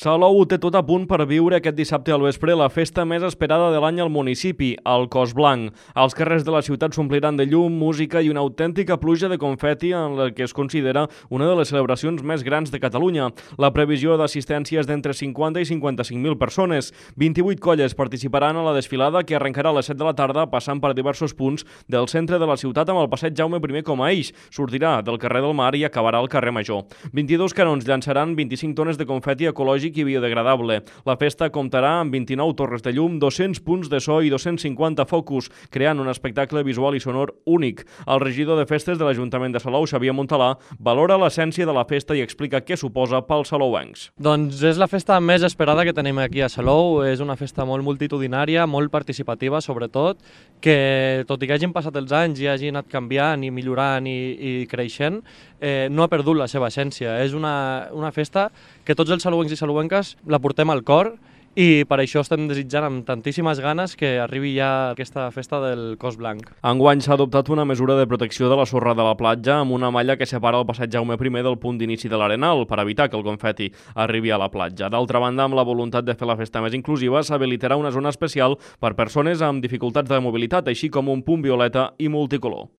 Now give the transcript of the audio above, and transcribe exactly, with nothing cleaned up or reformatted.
Salou té tot a punt per viure aquest dissabte al vespre la festa més esperada de l'any al municipi, el Cos Blanc. Els carrers de la ciutat s'ompliran de llum, música i una autèntica pluja de confeti en la que es considera una de les celebracions més grans de Catalunya. La previsió d'assistència és d'entre cinquanta i cinquanta-cinc mil persones. vint-i-vuit colles participaran a la desfilada que arrencarà a les set de la tarda passant per diversos punts del centre de la ciutat amb el passeig Jaume primer com a eix. Sortirà del carrer del Mar i acabarà al carrer Major. vint-i-dos canons llançaran vint-i-cinc tones de confeti ecològic i biodegradable. La festa comptarà amb vint-i-nou torres de llum, dos-cents punts de so i dos-cents cinquanta focus, creant un espectacle visual i sonor únic. El regidor de festes de l'Ajuntament de Salou, Xavier Montalà, valora l'essència de la festa i explica què suposa pels salouencs. Doncs és la festa més esperada que tenim aquí a Salou. És una festa molt multitudinària, molt participativa, sobretot, que tot i que hagin passat els anys i hagi anat canviant i millorant i, i creixent, eh, no ha perdut la seva essència. És una, una festa que tots els salouencs i salouenques la portem al cor i per això estem desitjant amb tantíssimes ganes que arribi ja aquesta festa del Cos Blanc. Enguany s'ha adoptat una mesura de protecció de la sorra de la platja amb una malla que separa el passeig Jaume primer del punt d'inici de l'Arenal per evitar que el confeti arribi a la platja. D'altra banda, amb la voluntat de fer la festa més inclusiva, s'habilitarà una zona especial per persones amb dificultats de mobilitat, així com un punt violeta i multicolor.